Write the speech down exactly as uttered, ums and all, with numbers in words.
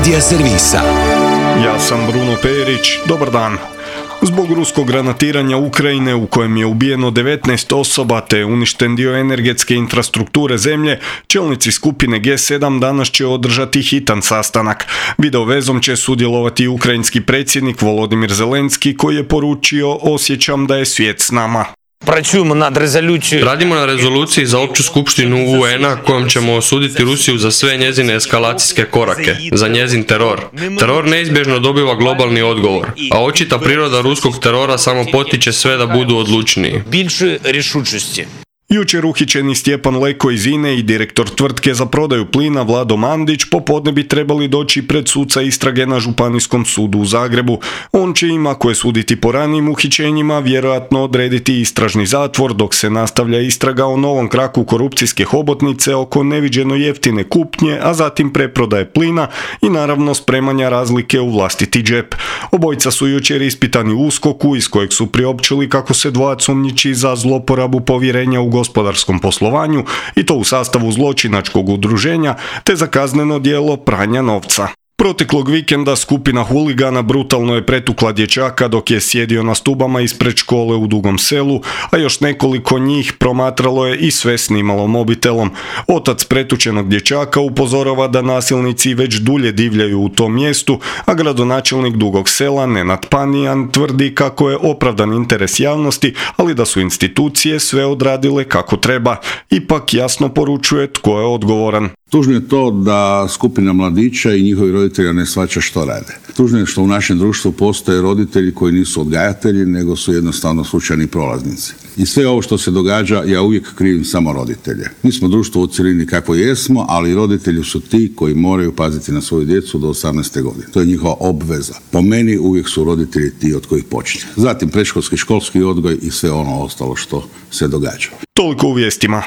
Media servisa. Ja sam Bruno Perić, dobar dan. Zbog ruskog granatiranja Ukrajine u kojem je ubijeno devetnaest osoba te uništen dio energetske infrastrukture zemlje, čelnici skupine G sedam danas će održati hitan sastanak. Video vezom će sudjelovati ukrajinski predsjednik Volodimir Zelenski koji je poručio: osjećam da je svijet s nama. Radimo na rezoluciji za opću skupštinu U N-a kojom ćemo osuditi Rusiju za sve njezine eskalacijske korake, za njezin teror. Teror neizbježno dobiva globalni odgovor, a očita priroda ruskog terora samo potiče sve da budu odlučniji. Jučer uhićeni Stjepan Leko iz I N E i direktor tvrtke za prodaju plina Vlado Mandić popodne bi trebali doći pred suca istrage na Županijskom sudu u Zagrebu. On će im, ako je suditi po ranijim uhićenjima, vjerojatno odrediti istražni zatvor dok se nastavlja istraga o novom kraku korupcijske hobotnice oko neviđeno jeftine kupnje, a zatim preprodaje plina i naravno spremanja razlike u vlastiti džep. Obojica su jučer ispitani u USKOK-u iz kojeg su priopćili kako se dvojac sumnjiči za zloporabu povjerenja u gospodarskom poslovanju i to u sastavu zločinačkog udruženja te za kazneno djelo pranja novca. Proteklog vikenda skupina huligana brutalno je pretukla dječaka dok je sjedio na stubama ispred škole u Dugom Selu, a još nekoliko njih promatralo je i sve snimalo mobitelom. Otac pretučenog dječaka upozorava da nasilnici već dulje divljaju u tom mjestu, a gradonačelnik Dugog Sela Nenad Panijan tvrdi kako je opravdan interes javnosti, ali da su institucije sve odradile kako treba. Ipak jasno poručuje tko je odgovoran. Tužno je to da skupina mladića i njihovi roditelja ne shvaća što rade. Tužno je što u našem društvu postoje roditelji koji nisu odgajatelji, nego su jednostavno slučajni prolaznici. I sve ovo što se događa, ja uvijek krivim samo roditelje. Mi smo društvo u cjelini kako jesmo, ali roditelji su ti koji moraju paziti na svoju djecu do osamnaeste godine. To je njihova obveza. Po meni uvijek su roditelji ti od kojih počinje. Zatim predškolski, školski odgoj i sve ono ostalo što se događa. Toliko u vijestima.